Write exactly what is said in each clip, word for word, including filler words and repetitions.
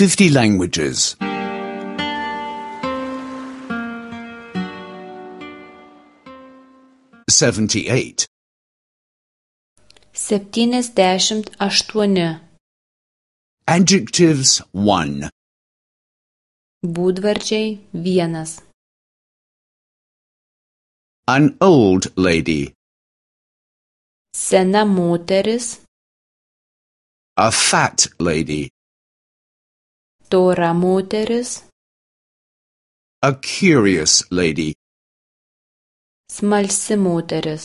fifty languages. seventy-eight. Septyniasdešimt aštuoni. Adjectives one. Būdvardžiai vienas. An old lady. Sena moteris. A fat lady. Tora moteris. A curious lady. Smalsi moteris.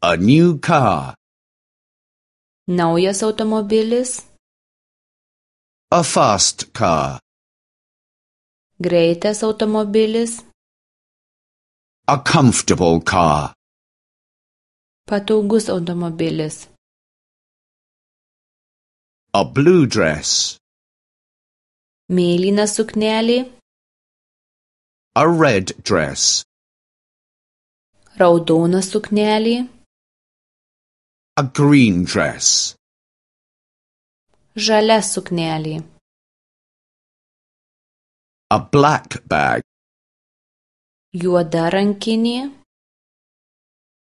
A new car. Naujas automobilis. A fast car. Greitas automobilis. A comfortable car. Patogus automobilis. A blue dress. Mėlyna suknelė. A red dress. Raudona suknelė. A green dress. Žalia suknelė. A black bag. Juoda rankinė.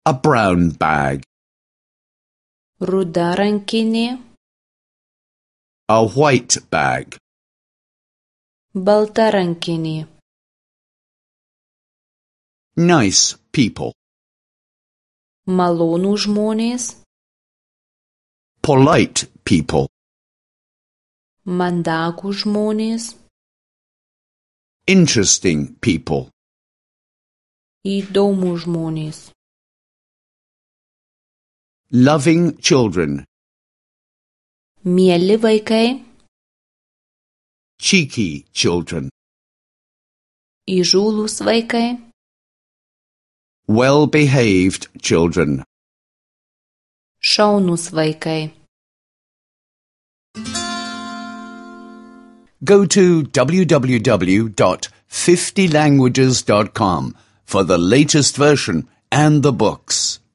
A brown bag. Ruda rankinė. A white bag. Balta rankinė. Nice people. Malonų žmonės. Polite people. Mandagų žmonės. Interesting people. Įdomų žmonės. Loving children. Mieli vaikai. Cheeky children. Įžūlūs vaikai. Well-behaved children. Šaunūs vaikai. Go to w w w dot fifty languages dot com for the latest version and the books.